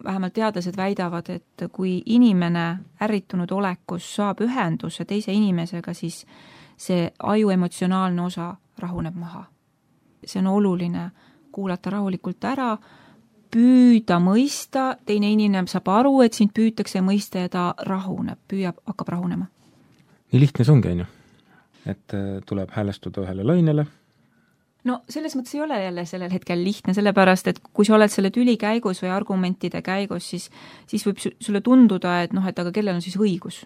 vähemalt teadlased väidavad, et kui inimene ärritunud olekus saab ühenduse teise inimesega, siis see aju emotsionaalne osa rahuneb maha. See on oluline kuulata rahulikult ära, püüda mõista, teine inimene saab aru, et sind püütakse mõista ja ta rahuneb, hakkab rahunema. Nii lihtne see ongi, on ju. Et tuleb häälestuda ühele lainele. No selles mõttes ei ole jälle sellel hetkel lihtne, sellepärast, et kui sa oled selle tüli käigus või argumentide käigus, siis võib sulle tunduda, et aga kellel on siis õigus.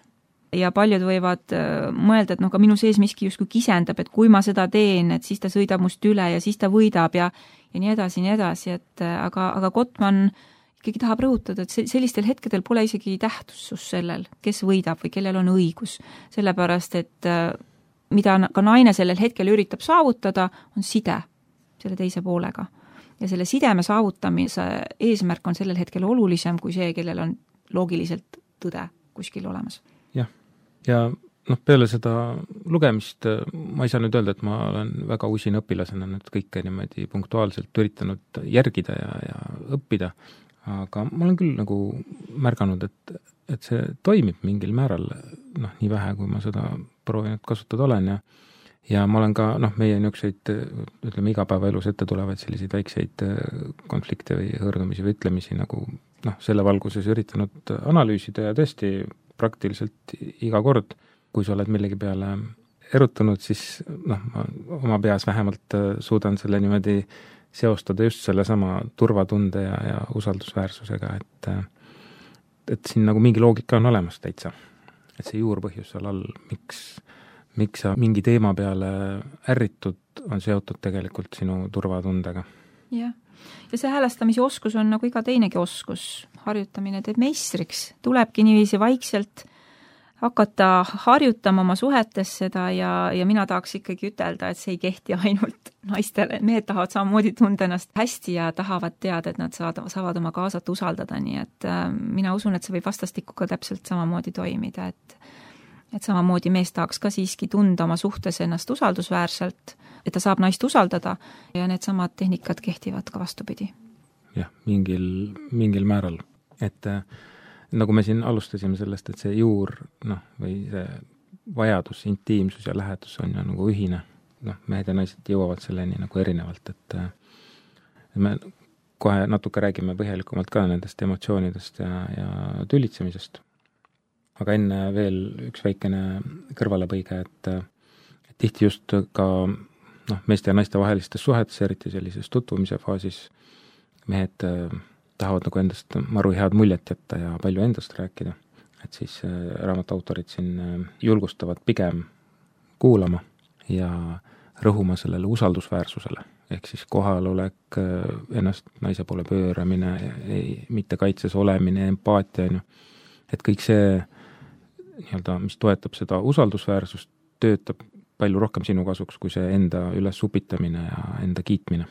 Ja paljud võivad mõelda, et ka minu sees miski justkui kisendab, et kui ma seda teen, et siis ta sõidab must üle ja siis ta võidab ja nii edasi, aga Gottman ikkagi tahab rõhutada, et sellistel hetkedel pole isegi tähtsus sellel, kes võidab või kellel on õigus. Sellepärast, et mida ka naine sellel hetkel üritab saavutada, on side selle teise poolega. Ja selle sideme saavutamise eesmärk on sellel hetkel olulisem kui see, kellel on loogiliselt tõde kuskil olemas. Jah, ja peale seda lugemist ma ei saa nüüd öelda, et ma olen väga usin õpilasena nüüd kõike niimoodi punktuaalselt üritanud järgida ja õppida, aga ma olen küll nagu märganud, et see toimib mingil määral, nii vähe, kui ma seda proovinud kasutada olen ja ma olen ka, meie niisuguseid, ütleme, igapäevaelus ette tulevaid selliseid väikseid konflikte või hõõrdumisi või ütlemisi nagu selle valguses üritanud analüüsida ja tõesti praktiliselt iga kord, kui sa oled millegi peale erutunud, siis ma oma peas vähemalt suudan selle niimoodi seostada just selle sama turvatunde ja usaldusväärsusega, et siin nagu mingi loogika on olemas täitsa. Et see juurpõhjus seal all, miks sa mingi teema peale ärritud, on seotud tegelikult sinu turvatundega. Jah. Ja see häälestamise oskus on nagu iga teinegi oskus. Harjutamine teeb meistriks. Tulebki niiviisi vaikselt hakata harjutama oma suhetes seda ja mina tahaks ikkagi ütelda, et see ei kehti ainult naistele. Mehed tahavad samamoodi tunda ennast hästi ja tahavad teada, et nad saavad oma kaasat usaldada, nii et mina usun, et see võib vastastikku ka täpselt samamoodi toimida, et samamoodi mees tahaks ka siiski tunda oma suhtes ennast usaldusväärselt, et ta saab naist usaldada ja need samad tehnikad kehtivad ka vastupidi. Jah, mingil määral, et nagu me siin alustasime sellest, et see juur, või see vajadus, intiimsus ja lähedus on ju nagu ühine. Mehed ja naised jõuavad selleni nagu erinevalt, et me kohe natuke räägime põhjalikumalt ka nendest emotsioonidest ja tülitsemisest. Aga enne veel üks väikene kõrvalepõige, et tihti just ka meeste ja naiste vahelistes suhetes, eriti sellises tutvumise faasis, mehed tahavad nagu endast maru head muljet jätta ja palju endast rääkida. Et siis raamatu autorid siin julgustavad pigem kuulama ja rõhuma sellele usaldusväärsusele. Ehk siis kohalolek, ennast naise poole pööramine, mitte kaitses olemine, empaatia, et kõik see, mis toetab seda usaldusväärsust, töötab palju rohkem sinu kasuks, kui see enda üles upitamine ja enda kiitmine.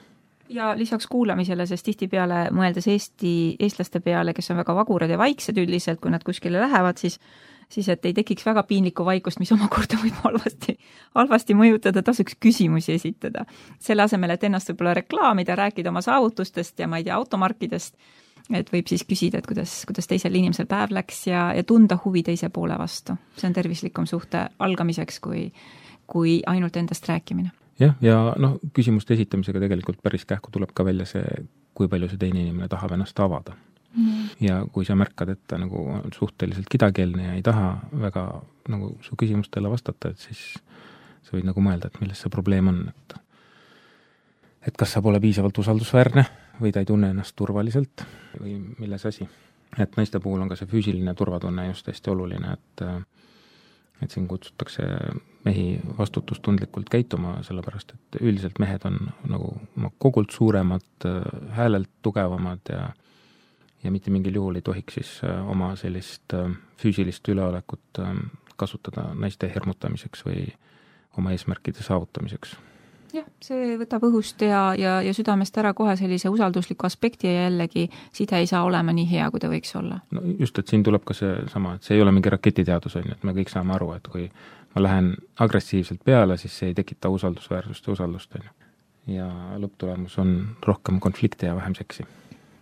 Ja lisaks kuulamisele, sest tihtipeale mõeldes eestlaste peale, kes on väga vagurad ja vaiksed üldiselt, kui nad kuskile lähevad, siis et ei tekiks väga piinlikku vaikust, mis omakorda võib halvasti mõjutada, tasuks küsimusi esitada. Selle asemel, et ennast võib-olla reklaamida, rääkida oma saavutustest ja ma ei tea, automarkidest, et võib siis küsida, et kuidas teisel inimesel päev läks ja tunda huvi teise poole vastu. See on tervislikum suhte algamiseks, kui ainult endast rääkimine. Ja küsimuste esitamisega tegelikult päris kähku tuleb ka välja see, kui palju see teine inimene tahab ennast avada. Ja kui sa märkad, et ta nagu on suhteliselt kidakeelne ja ei taha väga nagu su küsimustele vastata, et siis sa võid nagu mõelda, et milles see probleem on. Et kas sa pole piisavalt usaldusväärne või ta ei tunne ennast turvaliselt või milles asi. Et naiste puhul on ka see füüsiline turvatunne just hästi oluline, et siin kutsutakse mehi vastutustundlikult käituma, sellepärast et üldiselt mehed on nagu oma kogult suuremad, häälelt tugevamad ja mitte mingil juhul ei tohiks siis oma sellist füüsilist üleolekut kasutada naiste hirmutamiseks või oma eesmärkide saavutamiseks. Jah, see võtab õhust ja südamest ära kohe sellise usaldusliku aspekti ja jällegi side ei saa olema nii hea, kui ta võiks olla. No just, et siin tuleb ka see sama, et see ei ole mingi raketiteadus, et me kõik saame aru, et kui ma lähen agressiivselt peale, siis see ei tekita usaldusväärsust ja usaldust. Ja lõpptulemus on rohkem konflikte ja vähem seksi,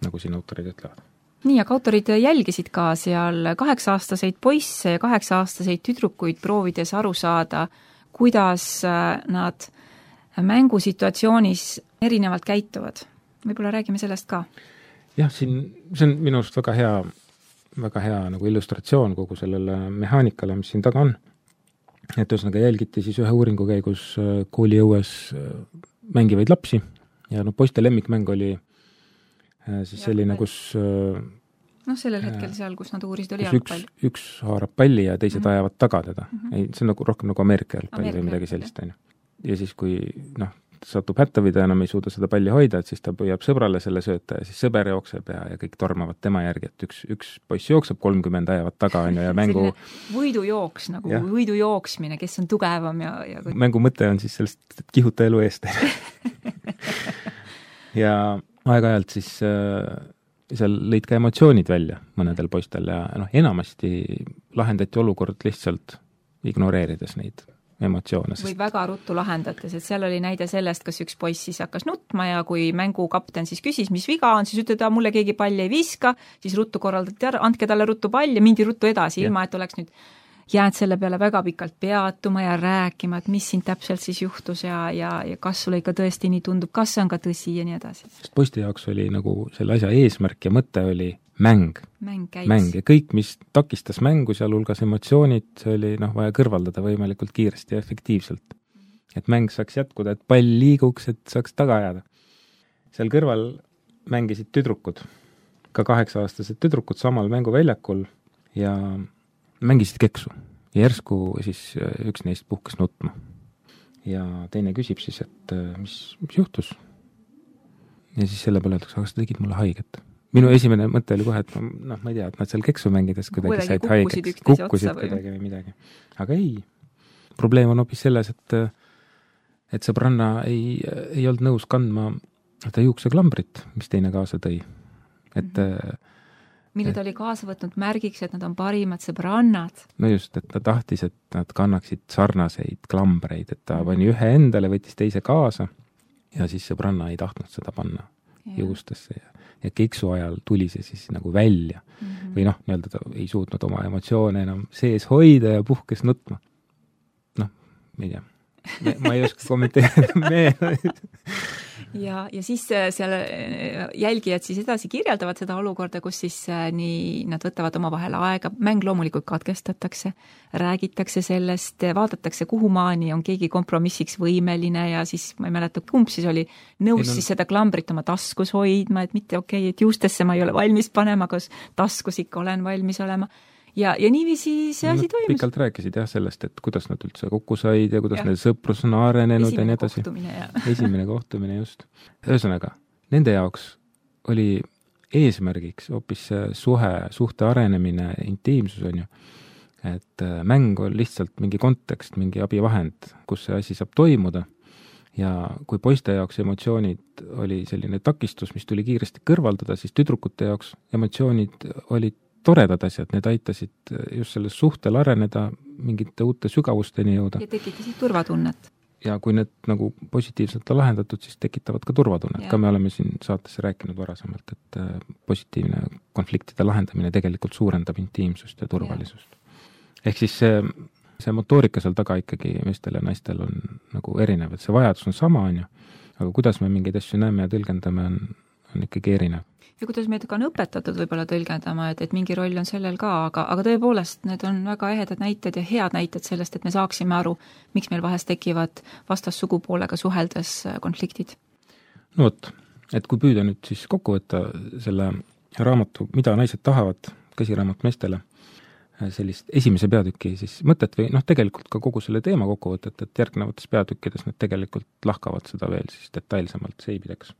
nagu siin autorid ütlevad. Nii, aga autorid jälgisid ka seal 8-aastaseid poisse ja 8-aastaseid tüdrukuid proovides aru saada, kuidas nad mängusituatsioonis erinevalt käituvad. Võib-olla räägime sellest ka. Jah, see on minu arust väga hea nagu illustratsioon kogu sellele mehaanikale, mis siin taga on. Et ühesõnaga jälgiti siis ühe uuringu käigus kooliõues mängivaid lapsi ja poiste lemmikmäng oli siis selline, kus sellel hetkel seal, kus nad uurisid, oli jalgpall. Üks haarab palli ja teised ajavad taga teda. Ei, see on nagu rohkem nagu Ameerika jalgpalli või midagi sellist. Ja siis, kui satub hätta või ta enam ei suuda seda palli hoida, et siis ta püüab sõbrale selle sööta ja siis sõber jookseb ja kõik tormavad tema järgi, et üks poiss jookseb 30 ajavad taga ja mängu võidujooks, nagu võidujooksmine, kes on tugevam ja mängu mõte on siis sellest, et kihuta elu eest. Ja aeg-ajalt siis seal lõid ka emotsioonid välja mõnedel poistel ja enamasti lahendati olukord lihtsalt ignoreerides neid emotsioone. Või väga ruttu lahendates, et seal oli näide sellest, kas üks poiss siis hakkas nutma ja kui mängukapten siis küsis, mis viga on, siis ütled, mulle keegi palli ei viska, siis ruttu korraldati ära, andke talle ruttu pall ja mindi ruttu edasi, ilma et oleks nüüd jääd selle peale väga pikalt peatuma ja rääkima, et mis siin täpselt siis juhtus ja kas sulle ikka tõesti nii tundub, kas see on ka tõsi ja nii edasi. Sest poiste jaoks oli nagu selle asja eesmärk ja mõte oli mäng ja kõik, mis takistas mängu, sealhulgas emotsioonid, see oli vaja kõrvaldada võimalikult kiiresti ja efektiivselt. Et mäng saaks jätkuda, et pall liiguks, et saaks taga jääda. Seal kõrval mängisid tüdrukud, ka 8-aastased tüdrukud samal mänguväljakul ja mängisid keksu. Ja järsku siis üks neist puhkes nutma. Ja teine küsib siis, et mis juhtus? Ja siis selle peale öeldakse, aga sa tegid mulle haiget. Minu esimene mõte oli kohe, et ma ei tea, et nad seal keksu mängides kuidagi said haigeks, kukkusid kuidagi või midagi. Aga ei. Probleem on hoopis selles, et sõbranna ei olnud nõus kandma ta juukseklambrit, mis teine kaasa tõi. Et mille ta oli kaasa võtnud märgiks, et nad on parimad sõbrannad. No just, et ta tahtis, et nad kannaksid sarnaseid klambreid, et ta pani ühe endale, võttis teise kaasa ja siis sõbranna ei tahtnud seda panna juustesse ja keksu ajal tuli see siis nagu välja. Või nii-öelda ta ei suutnud oma emotsioone enam sees hoida ja puhkes nutma. Ma ei tea. Ma ei oska kommenteerida. Ja siis seal jälgijad siis edasi kirjeldavad seda olukorda, kus siis nii nad võtavad oma vahel aega, mäng loomulikult katkestatakse, räägitakse sellest, vaadatakse kuhumaani on keegi kompromissiks võimeline ja siis ma ei mäleta, kumb siis oli nõus siis seda klambrit oma taskus hoidma, et mitte et juustesse ma ei ole valmis panema, kas taskus ikka olen valmis olema. Ja niiviisi see asi toimus. Pikalt rääkisid sellest, et kuidas nad üldse kokku said ja kuidas need sõprus on arenenud ja nii edasi. Esimene kohtumine just. Ühesõnaga, nende jaoks oli eesmärgiks hoopis suhte arenemine, intiimsus on ju, et mäng on lihtsalt mingi kontekst, mingi abivahend, kus see asi saab toimuda ja kui poiste jaoks emotsioonid oli selline takistus, mis tuli kiiresti kõrvaldada, siis tüdrukute jaoks emotsioonid olid toredad asjad, need aitasid just selles suhtel areneda, mingite uute sügavusteni jõuda. Ja tekitasid turvatunnet. Ja kui need nagu positiivselt on lahendatud, siis tekitavad ka turvatunnet. Ka me oleme siin saatesse rääkinud varasemalt, et positiivne konfliktide lahendamine tegelikult suurendab intiimsust ja turvalisust. Ehk siis see motoorika seal taga ikkagi meestel ja naistel on nagu erinev, et see vajadus on sama, on ju, aga kuidas me mingeid asju näeme ja tõlgendame, on ikkagi erinev. Ja kuidas meid ka on õpetatud võib-olla tõlgendama, et mingi roll on sellel ka, aga tõepoolest need on väga ehedad näited ja head näited sellest, et me saaksime aru, miks meil vahest tekivad vastassugupoolega suheldes konfliktid. No vot, et kui püüda nüüd siis kokku võtta selle raamatu, mida naised tahavad, käsiraamat meestele, sellist esimese peatüki siis mõtet või tegelikult ka kogu selle teema kokkuvõtet, et järgnevates peatükkides nad tegelikult lahkavad seda veel siis detailsemalt seibideks.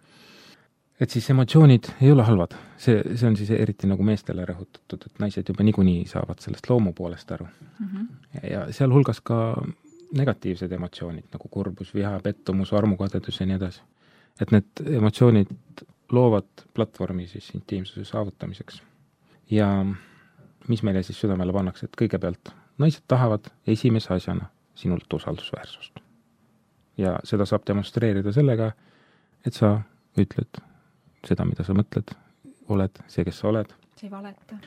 Et siis emotsioonid ei ole halvad. See on siis eriti nagu meestele rõhutatud, et naised juba niikuinii saavad sellest loomu poolest aru. Ja sealhulgas ka negatiivsed emotsioonid, nagu kurbus, viha, pettumus, armukadedus ja nii edasi. Et need emotsioonid loovad platvormi siis intiimsuse saavutamiseks. Ja mis meile siis südamele pannakse, et kõigepealt naised tahavad esimese asjana sinult usaldusväärsust. Ja seda saab demonstreerida sellega, et sa ütled seda, mida sa mõtled, oled see, kes sa oled. See ei valeta.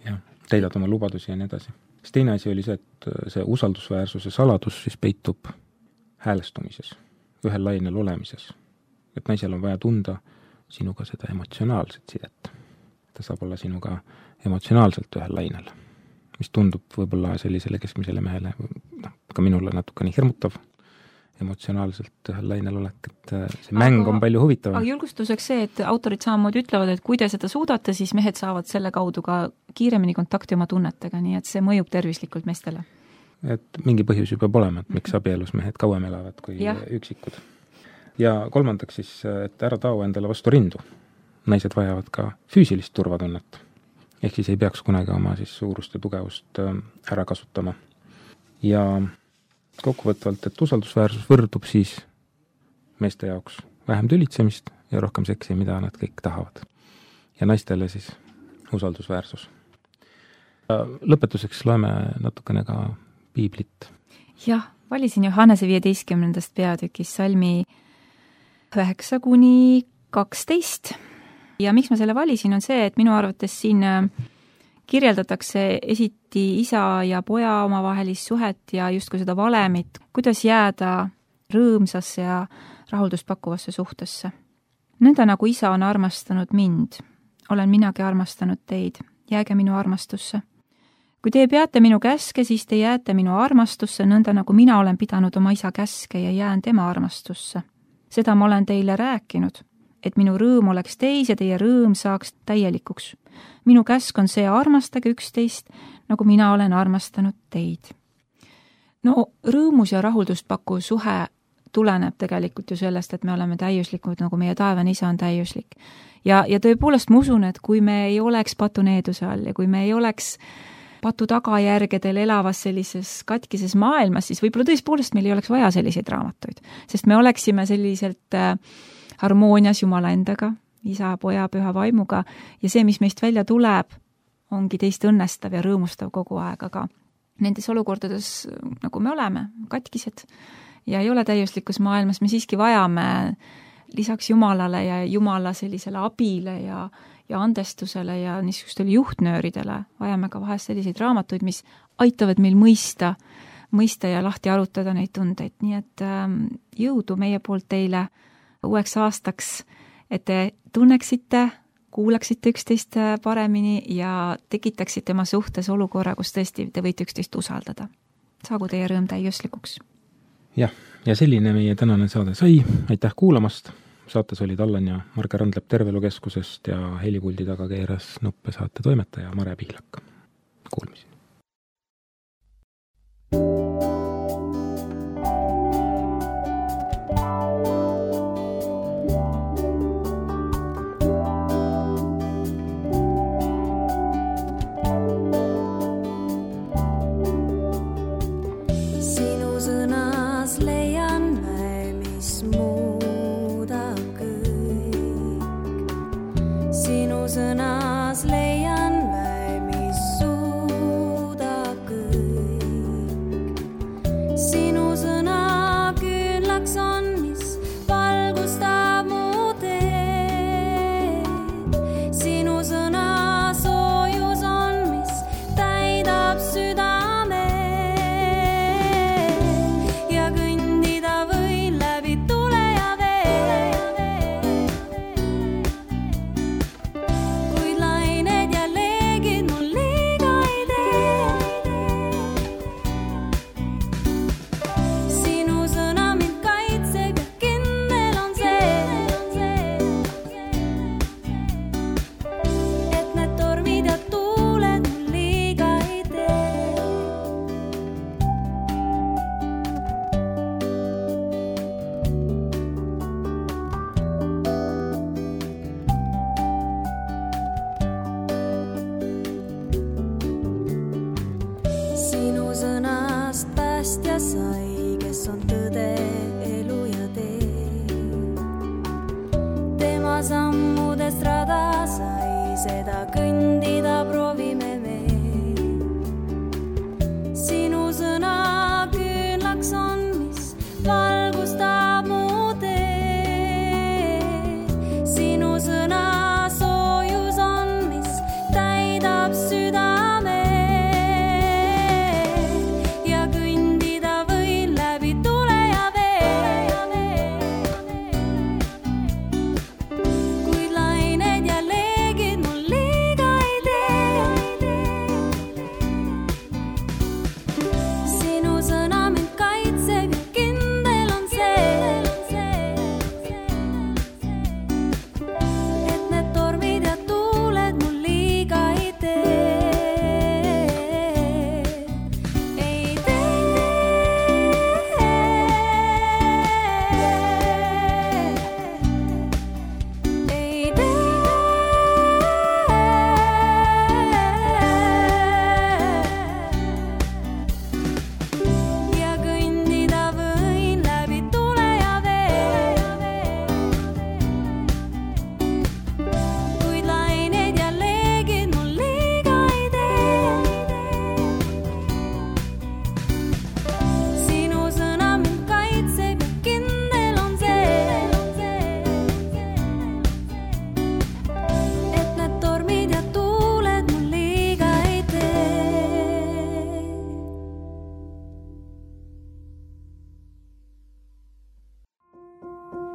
Ja, täidad oma lubadusi ja nii edasi. Siis teine asi oli see, et see usaldusväärsuse saladus siis peitub häälestumises, ühel lainel olemises. Et naisel on vaja tunda sinuga seda emotsionaalset sidet. Ta saab olla sinuga emotsionaalselt ühel lainel, mis tundub võib-olla sellisele keskmisele mehele, ka minule natukene hirmutav, emotsionaalselt ühel lainel olek, et see mäng on palju huvitavam. Aga julgustuseks see, et autorid samamoodi ütlevad, et kui te seda suudate, siis mehed saavad selle kaudu ka kiiremini kontakti oma tunnetega, nii et see mõjub tervislikult meestele. Et mingi põhjus juba peab olema, et miks abielus mehed kauem elavad kui üksikud. Ja kolmandaks siis, et ära tao endale vastu rindu. Naised vajavad ka füüsilist turvatunnet. Ehk siis ei peaks kunagi oma siis suurust ja tugevust ära kasutama. Ja kokkuvõtvalt, et usaldusväärsus võrdub siis meeste jaoks vähem tülitsemist ja rohkem seksi, mida nad kõik tahavad. Ja naistele siis usaldusväärsus. Lõpetuseks loeme natukene ka piiblit. Jah, Valisin Johannese 15. peatükis salmi 9-12 ja miks ma selle valisin, on see, et minu arvates siin kirjeldatakse esiti isa ja poja omavahelist suhet ja justkui seda valemit, kuidas jääda rõõmsasse ja rahuldust pakkuvasse suhtesse. Nõnda nagu isa on armastanud mind, olen minagi armastanud teid, jääge minu armastusse. Kui te peate minu käske, siis te jääte minu armastusse, nõnda nagu mina olen pidanud oma isa käske ja jään tema armastusse. Seda ma olen teile rääkinud, et minu rõõm oleks teis ja teie rõõm saaks täielikuks. Minu käsk on see, armastage üksteist, nagu mina olen armastanud teid. No rõõmus ja rahuldust pakkuv suhe tuleneb tegelikult ju sellest, et me oleme täiuslikud, nagu meie taevane isa on täiuslik. Ja tõepoolest ma usun, et kui me ei oleks patuneeduse all ja kui me ei oleks patu tagajärgedel elavas sellises katkises maailmas, siis võib-olla tõepoolest meil ei oleks vaja selliseid raamatuid, sest me oleksime selliselt harmoonias Jumala endaga, isa, poja, püha vaimuga ja see, mis meist välja tuleb, ongi teist õnnestav ja rõõmustav kogu aeg, aga nendes olukordades, nagu me oleme, katkised ja ei ole täiuslikus maailmas, me siiski vajame lisaks Jumalale ja Jumala sellisele abile ja andestusele ja niisugustele juhtnööridele vajame ka vahest selliseid raamatuid, mis aitavad meil mõista ja lahti arutada neid tundeid. Nii et jõudu meie poolt teile uueks aastaks, et te tunneksite, kuulaksite üksteist paremini ja tekitaksite oma suhtes olukorra, kus tõesti te võite üksteist usaldada. Saagu teie rõõm täiuslikuks. Jah, ja selline meie tänane saade sai. Aitäh kuulamast! Saates olid Allan ja Marge Randlep Tervelukeskusest ja helipuldi taga keeras nuppe saate toimetaja Mare Pihlak. Kuulmiseni! Sõnas leian mä, mis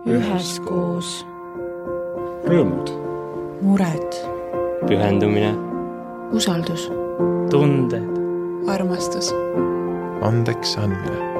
üheskoos, rõõmud, mured, pühendumine, usaldus, tunded, armastus, andeks andmine.